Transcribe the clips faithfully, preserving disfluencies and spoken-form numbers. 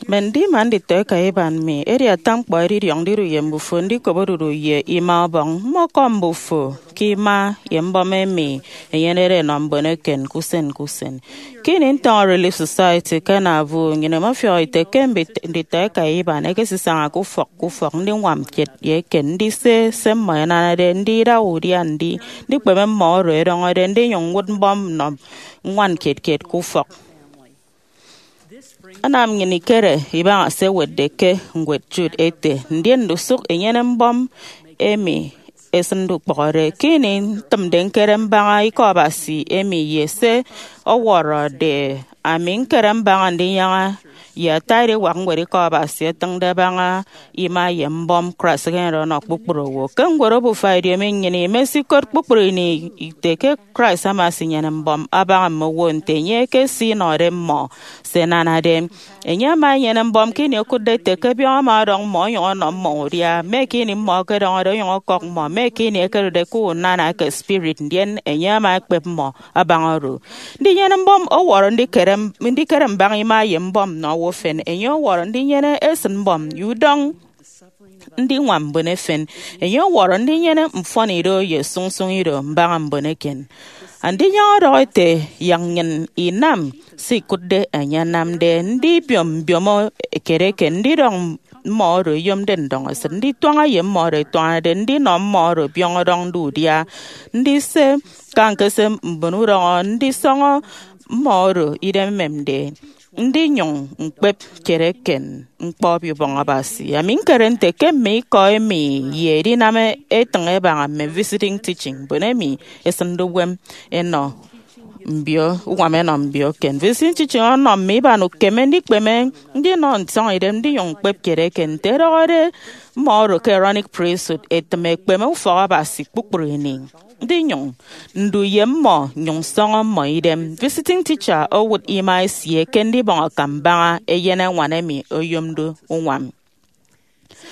Mme ndima nditọeka iban mi, edi ata ñkpọ edidiọñ ndidu ye mbufo, ndikop odudu ye ima Ọbọñ. Mmọkọm mbufo ke ima ye mbọm emi enyenede enọ mbon eken ke usen ke usen. Ke ini ntọñọ Relief Society ke Nauvoo, nnyịn imefiọk ite ke mbit-, nditọeka iban ẹkesisaña ke ufọk ke ufọk ndiñwam kiet ye eken, ndise se mmọ ẹnanade, ndida udia ndi, ndikpeme mmọ oro ẹdọñọde, ndinyụñ ñwụt mbọm nnọ ñwan kiet kiet ke ufọk. Anam nnyịn ikere ibaña se ẹwetde ke ñwed Jude ete, ndien ndusụk inyene mbọm emi esịnde ukpọhọde. Ke ini ntịmde ñkere mbaña Ikọ Abasi emi ye se ọwọrọde, ami ñkere mbaña ndinyaña ye ata ediwak ñwed Ikọ Abasi ẹtịñde abaña ima ye mbọm Christ ekenyenede ọnọ kpukpru owo. Ke ñwed obufa ediomi, nnyịn imesikot kpukpru ini ite ke Christ ama esinyene mbọm abaña mme owo nte enye ekesinọde mmọ se ẹnanade. Enye ama enyene mbọm ke ini okụtde ete ke biọñ ama ọdọñ mmọ onyụñ ọnọ mmọ udia, mme ke ini mmọ ẹkedọñọde onyụñ ọkọk mmọ, mme ke ini ẹkedude ke unana eke spirit, ndien enye ama ekpep mmọ abaña oro. Ndinyene mbọm ọwọrọ ndikere, ndikere mbaña ima ye mbọm nnọ owo efen. Enye ọwọrọ ndinyene esịt mbọm ye udọñ ndiñwam mbon efen. Enye ọwọrọ ndinyene mfọnido ye sụñsụñ ido mbaña mbon eken. Andinyaña ọdọhọ ete, yak nnyịn inam se ikụtde enye anamde, ndibiom mbiomo kiet eken, ndidọñ mmọ oro ẹyomde ndọñesịt, ndituaña ye mmọ oro ẹtuañade, ndinọ mmọ oro biọñ ọdọñde udia, ndise kañke se mbon udọñọ, ndisọñọ mmọ oro idem ememde, ndinyụñ ñkpep kiet eken ñkpọ Obio Ubọñ Abasi. Ami ñkere nte ke mme ikọ emi ye edinam etịñ ẹbaña mme visiting teaching, mbon emi ẹsịnde uwem ẹnọ mbio, uñwam ẹnọ mbio eken. Visiting teaching ọnọ mme iban ukeme ndikpeme ndinọ nsọñidem ndinyụñ ñkpep kiet eken nte ẹdọhọde mmọ oro ke Aaronic Priesthood, ẹtịm ẹkpeme ufọk Abasi kpukpru ini, ndinyụñ ndu ye mmọ nnyụñ nsọñọ mmọ idem. Visiting teacher owụt ima esie ke ndibọñ akam mbaña eyen añwan emi oyomde uñwam.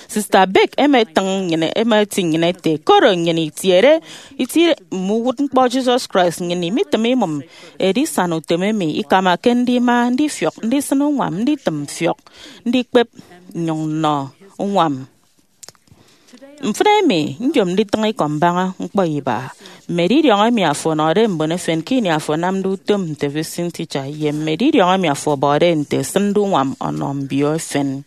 Sister Beck emetịñ nnyịn, emeti nnyịn ete, koro nnyịn itiede itie mme uwụtñkpọ Jesus Christ, nnyịn imitịm imụm edisana utom emi ikamake ndima, ndifiọk, ndisịn uñwam, nditịm mfiọk, ndikpep, nnyụñ nnọ uñwam. Mfịn emi, nyom nditịñ ikọ mbaña ñkpọ iba, mme edidiọñ emi afo ọnọde mbon efen ke ini afo anamde utom nte visiting teacher, ye mme edidiọñ emi afo ọbọde nte esịnde uñwam ọnọ mbio efen.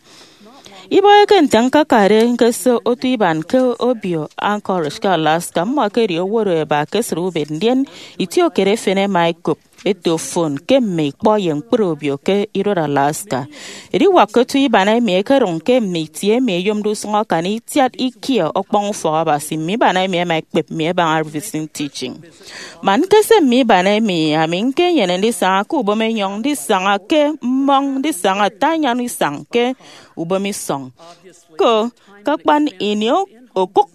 Ibọhọke nte ñkakade ñkese otu iban ke obio Anchorage ke Alaska, mmọ ẹkedi owo oro ẹba ke esịt ubet, ndien itiokiet efen ẹma ẹkop eto fon ke mme ikpọ ye ñkpri obio ke iduot Alaska. Ediwak ke otu iban emi ẹkedụñ ke mme itie emi ẹyomde usụñ akan itiat ikie ọkpọñ ufọk Abasi, mme iban emi ẹma ẹkpep mi ẹbaña visiting teaching. Man ñkese mme iban emi, ami ñkenyene ndisaña ke ubom enyọñ, ndisaña ke mmọñ, ndisaña ata anyan isañ ke ubom isọñ. Ko, ke akpan ini o-, okụk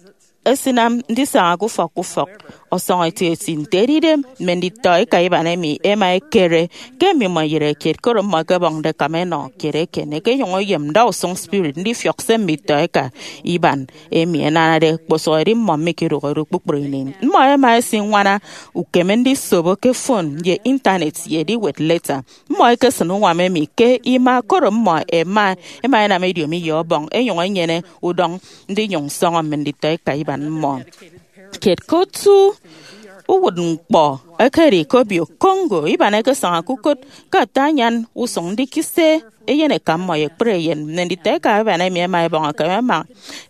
esinam ndisaña ke ufọk ke ufọk. Ọsọñ etieti nte edide, mme nditọeka iban emi ẹma ẹkere ke mmimọ iyịre kiet, koro mmọ ẹkebọñde ẹkam ẹnọ kiet eken, ẹkenyụñ ẹyem ndausụñ spirit ndifiọk se mme itọeka iban emi ẹnanade, kpọsọhọ edi mmọ mikidụhe do kpukpru ini. Mmọ ẹma ẹsiñwana ukeme ndisobo ke fon ye Intanet ye ediwet leta. Mmọ ẹkesịn uñwam emi ke ima, koro mmọ ẹma, ẹma ẹnam ediomi ye Ọbọñ, ẹnyụñ ẹnyene udọñ ndinyụñ nsọñọ mme nditọeka iban mmọ. Kiet ke otu uwụtñkpọ ẹkedi ke obio Congo, iban ẹkesaña ke ukot ke ata anyan usụñ ndikise eyeneka mmọ ye ekpri eyen. Mme nditọeka iban emi ẹma ẹbọñ akam ẹma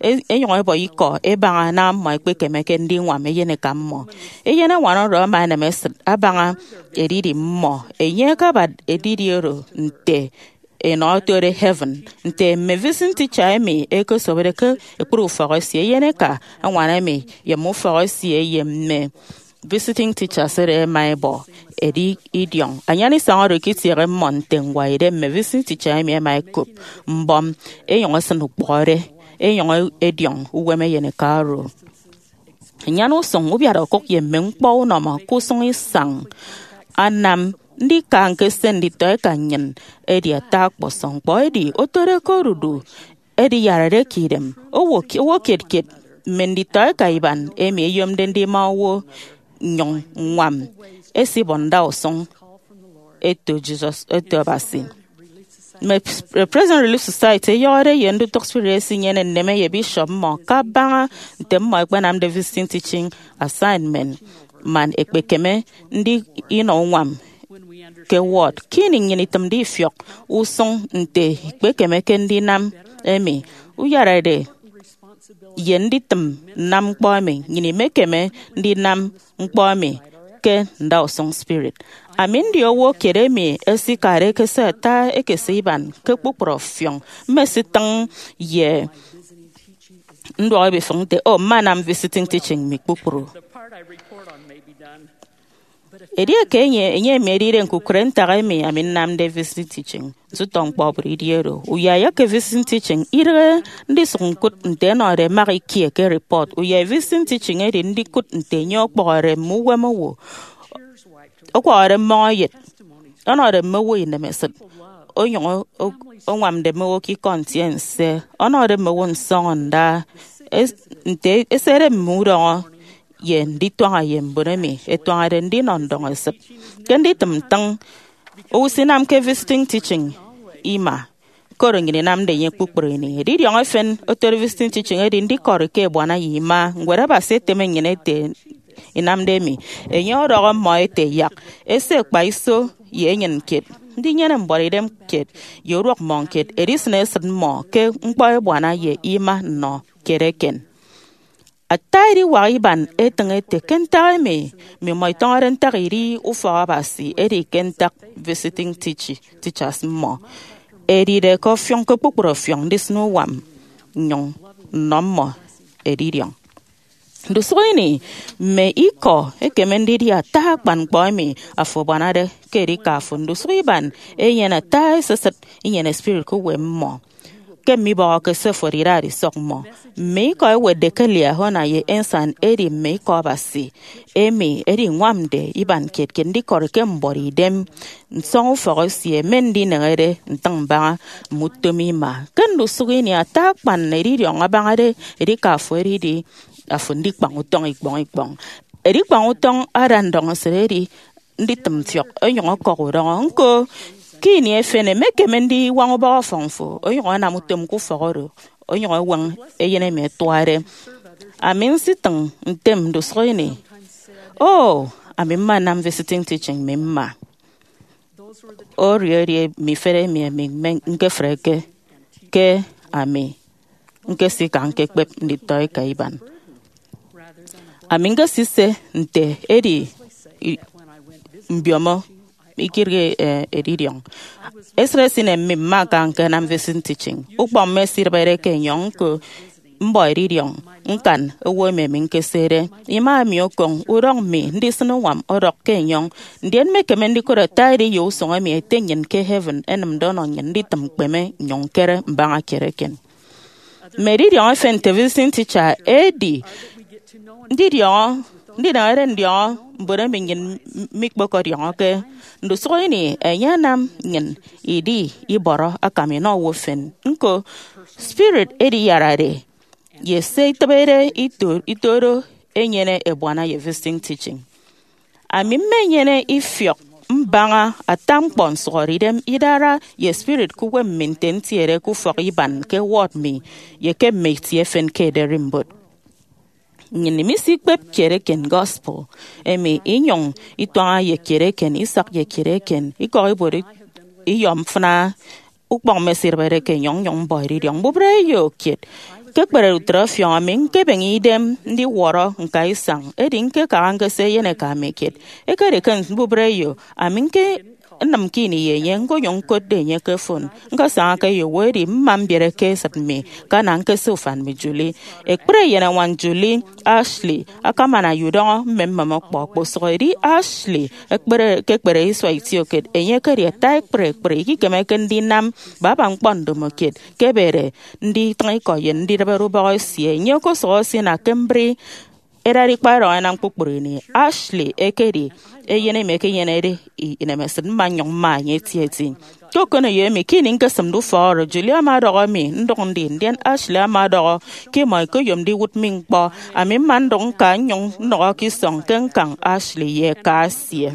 e-, ẹnyụñ ẹbọ ikọ ẹbaña naña mmọ ẹkpekemeke ndiñwam eyeneka mmọ. Eyen añwan oro ama enem esịt abaña edidi mmọ. Enye akabat edidi oro nte enọ otode heaven. Nte mme visiting teacher emi ẹkesobode ke ekpri ufọk esie, eyeneka añwan emi ye mme ufọk esie ye mme visiting teachers oro ẹma ẹbọ ẹdi idiọñ. Anyan isañ oro ikitiehe mmọ nte ñwaidem. Mme visiting teacher emi ẹma ẹkop mbọm, ẹnyụñ ẹsịn ukpọhọde, ẹnyụñ ẹdiọñ uwem eyeneka oro. Nnyana usụñ, ubiat okụk ye mme ñkpọ unọmọ ke usụñ isañ anam ndika ñkese nditọeka nnyịn edi ata ọkpọsọñ ñkpọ. Edi otode ke odudu ediyarade ke idem, owo, owo kiet kiet mme nditọeka iban emi ẹyomde ndima owo nnyụñ ññwam ẹsibọ ndausụñ eto Jesus, eto Abasi. Mme Presbyterian Relief Society eyọhọde ye ndutụk spirit esinyene nneme ye bishop mmọ kabaña nte mmọ ẹkpenamde visiting teaching assignment man ẹkpekeme ndi inọ uñwam ke ward. Ke ini nnyịn itịmde ifiọk usụñ nte ikpekemeke ndinam emi, uyarade ye nditịm nnam ñkpọ emi, nnyịn imekeme ndinam ñkpọ emi ke ndausụñ spirit. Ami ndi owo kiet emi esikade ekese ata ekese iban ke kpukpru ọfiọñ. Mmesitịñ ye nduọk ebifịk nte, "O, mmanam visiting teaching mi kpukpru." Edieke enye enye emi edide ñkukụre ntak emi ami nnamde visiting teaching, nsụtọ ñkpọ obụt idi oro. Uyai eke visiting teaching idịghe ndisụk ñkụt nte ẹnọde mak ikie ke report. Uyai visiting teaching edi ndikụt nte enye ọkpọhọde mme uwem owo, ọkwọhọde mmọñ eyet, ọnọde mme owo inemesịt, onyụñ o- oñwamde mme owo ke ikọ ntiense, ọnọde mme owo nsọñọ nda, es- nte esede mme udọñọ ye ndituaña ye mbon emi ẹtuañade ndinọ ndọñesịt. Ke nditịm ntịñ, owo isinamke visiting teaching ima, koro nnyịn inamde enye kpukpru ini. Edidiọñ efen otode visiting teaching edi ndikọri ke ebuana ye ima. Ñwed Abasi eteme nnyịn ete inamde emi. Enye ọdọhọ mmọ ete, "Yak ese kpa iso ye enyịn kiet, ndinyene mbuọtidem kiet ye uduak mmọñ kiet, edisịn esịt mmọ ke ñkpọ ebuana ye ima nnọ kiet eken." Ata ediwak iban etịñ ete ke ntak emi mmimọ itọñọde ntak idi ufọk Abasi edi ke ntak visiting teach- teachers mmọ edide ke ọfiọñ ke kpukpru ọfiọñ ndisịn uwam nnyụñ nnọ mmọ edidiọñ. Ndusụk ini, mme ikọ ẹkeme ndidi ata akpan ñkpọ emi afo abuanade ke edika fo. Ndusụk iban enyene ata esisịt inyene spirit ke uwem mmọ. Ke mme ibọhọke se fo edidade isọk mmọ, mme ikọ ẹwetde ke Liahona ye Ensign ẹdi mme ikọ Abasi emi ẹdiñwamde iban kiet ke ndikọri ke mbuọtidem nsọñufọk esie, mme ndineñede ntịñ mbaña mme utom ima. Ke ndusụk ini, ata akpan edidiọñ abañade edika fo edidi afo ndikpañ utọñ ikpọñ ikpọñ. Edikpañ utọñ ada ndọñesịt edi nditịm mfiọk onyụñ ọkọk udọñọ. Ñko, ke ini efen, emekeme ndiñwañ ubọhọ ọfọñ fo onyụñ anam utom ke ufọk oro onyụñ eweñ eyen emi ẹtuade. Ami nsitịñ ntem ndusụk ini, "O, ami mma nnam visiting teaching mi mma." Oro edi mme ifet emi ami mme- ñkefreke ke ami ñkesika ñkekpep nditọeka iban. Ami ñkesise nte edi i- mbiomo ikirịghe, eh, edidiọñ. Esịt esinem mi mma ñka ñkenam visiting teaching. Ukpọñ mme esidịbede ke enyọñ ñko mbọ edidiọñ ñkan owo emi ami ñkesede. Ima emi okoñ udọñ mi ndisịn uñwam ọdọk ke enyọñ, ndien mmekeme ndikụt ata ediye usụñ emi Ete nnyịn ke heaven enịmde ọnọ nnyịn nditịm ñkpeme nnyụñ ñkere mbaña kiet eken. Mme edidiọñ efen nte visiting teacher edi ndidiọñọ, ndineñede ndiọñọ mbon emi nnyịn mikpokọdiọñọke. Ndusụk ini, enye anam nnyịn idi ibọrọ akam inọ owo efen. Ñko, spirit ediyarade ye se itịbede ito- ito oro enyene ebuana ye visiting teaching. Ami mmenyene ifiọk mbaña ata ñkpọ nsụhọdeidem idara ye spirit ke uwem mi nte ntiede ke ufọk iban ke ward mi ye ke mme itie efen ke ederimbot. Nnyịn misikpep kiet eken gospel emi inyụñ ituaña ye kiet eken isak ye kiet eken ikọk ibuot iyọ mfịna ukpọñ mme esidịbede ke enyọñ nnyụñ mbọ edidiọñ mbubreyo kiet. Ke ekpere utre ọfiọñ, ami ñkebeñe idem ndiwọrọ ñka isañ, edi ñkekara ñkese eyeneka mi kiet. Ekedi ke mbubreyo, ami ñkenịm ke ini ye enye, ñkonyụñ ñkotde enye ke fon. Ñkesaña ke eyeowo edi mma mbiere ke esịt mi, kana ñkese ufan mi Julie. Ekpri eyenañwan Julie, Ashley, akamana ye udọñọ mmemmem ọkpọ okposụk edi Ashley ekpere ke ekpere isua itiokiet. Enye ekedi ata ekpri ekpri ikikemeke ndinam baba ñkpọ ndomokiet ke ebede nditịñ ikọ ye ndidịbede ubọhọ esie. Enye okosụhọ esina ke mbri edade ikpaidọñ ẹnam kpukpru ini. Ashley ekedi eyen emi ekenyenede i- inemesịt, mma nnyụñ mma enye etieti. Ke okoneyo emi, ke ini ñkesịmde ufọk oro, Julie ama ọdọhọ mi ndụk ndi, ndien Ashley ama ọdọhọ ke imọ ikoyomde iwụt mi ñkpọ. Ami mma ndụk ñka nnyụñ nnọhọ ke isọñ ke ñkañ Ashley ye eka esie.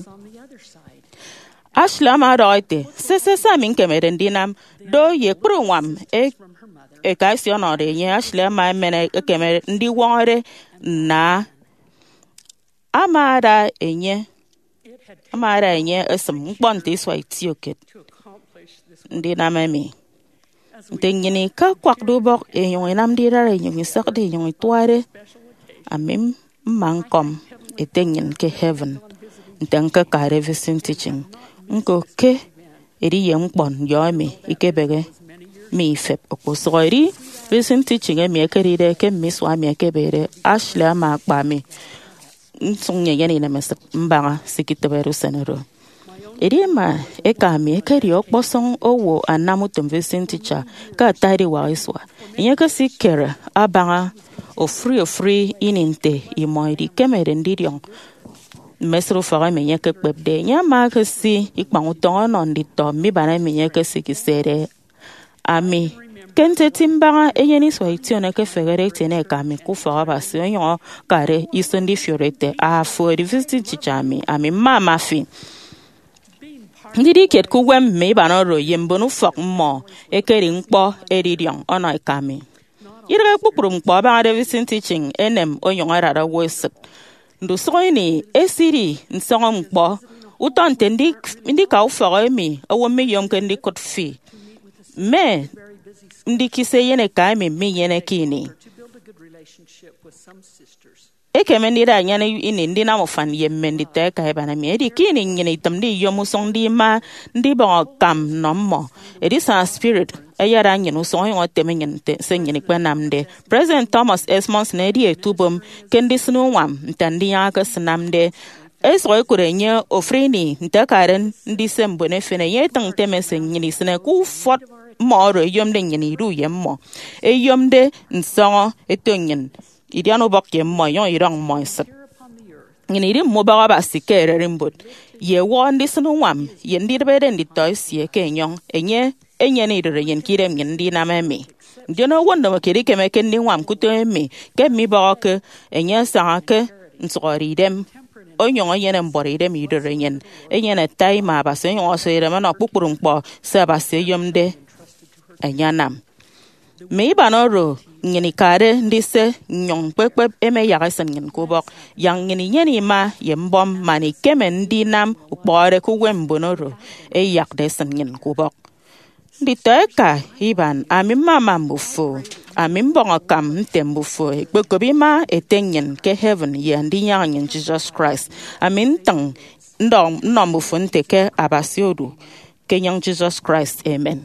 Ashley ama ọdọhọ ete, sese se ami ñkemede ndinam. Do ye ekpri uñwam e- eka esie ọnọde enye, Ashley ama emen ekeme ndiwọñọde nna ama ada enye ama ada enye esịm ñkpọ nte isua itiokiet ndinam emi. Nte nnyịn ikakwakde ubọk inyụñ inamde idara inyụñ isakde inyụñ ituade, ami mma ñkọm Ete nnyịn ke heaven nte ñkekade visiting teaching. Ñko ke ediye ñkpọ nyọ emi ikebehe mi ifep. Okposụkedi visiting teaching emi ekedide ke mme isua emi ẹkebede, Ashley ama akpa mi nsụk nnyene inemesịt mbaña se iketịbede usen oro. Edi ema eka mi ekedi ọkpọsọñ owo anam utom visiting teacher ke ata ediwak isua. Enye ekesikere abaña ofụri ofụri ini nte imọ idikemede ndidiọñ mme esịt ufọk emi enye ekekpepde. Enye ama ekesi ikpañ utọñ ọnọ nditọ mme iban emi enye ekesikisede. Ami ke nteti mbaña eyen isua ition ekefehede etiene eka mi ke ufọk Abasi onyụñ akade iso ndifiori ete, "Afo edi visiting teacher mi, ami mma ama fi." Ndidi kiet ke uwem mme iban oro ye mbon ufọk mmọ ekedi ñkpọ edidiọñ ọnọ eka mi. Idịghe kpukpru ñkpọ abañade visiting teaching enem onyụñ adade owo esịt. Ndusụk ini esidi nsọñọ ñkpọ utọ nte ndi- ndika ufọk emi owo miyomke ndikụt fi, mme ndikisi eyeneka emi minyeneke ini. Ekeme ndida nnyịn ini ndinam ufan ye mme nditọeka iban emi. Edi ke ini nnyịn itịmde iyom usụñ ndima ndibọñ akam nnọ mmọ, edisana spirit ayada nnyịn usụñ onyụñ eteme nnyịn nte se nnyịn ikpenamde. President Thomas S. Monson edi etubom ke ndisịn uñwam nte Andinyaña ekesinamde. Esụk ekot enye ofụri ini nte akade ndise mbon efen. Enye etịñ nte mme se nnyịn isịne ke ufọt mmọ oro eyomde nnyịn idu ye mmọ, eyomde nsọñọ eto nnyịn, idian ubọk ye mmọ, inyụñ ididọñ mmọ esịt. Nnyịn idi mme ubọk Abasi ke ererimbot, ye ewọhọ ndisịn uñwam ye ndidịbede nditọ esie ke enyọñ. Enye enyene idụt enyịn ke idem nnyịn ndinam emi. Ndien owo ndomokiet ikemeke ndiñwam ke utom emi ke mibọhọke enye asaña ke nsụhọdeidem, onyụñ enyene mbuọtidem idụt enyịn, enyene ata ima Abasi, onyụñ ọsọ idem ọnọ kpukpru ñkpọ se Abasi eyomde enye anam. Mme iban oro nnyịn ikade ndise nnyụñ ñkpekpep ema ẹyak ẹsịn nnyịn ke ubọk. Yak nnyịn inyene ima ye mbọm man ikeme ndinam ukpọhọde ke uwem mbon oro ẹyakde ẹsịn nnyịn ke ubọk. Nditọeka iban, ami mmama mbufo. Ami mbọñ akam nte mbufo ẹkpekop ima Ete nnyịn ke heaven ye Andinyaña nnyịn Jesus Christ. Ami ntịñ ndọ- nnọ mbufo nte ke Abasi odu ke enyịñ Jesus Christ. Amen.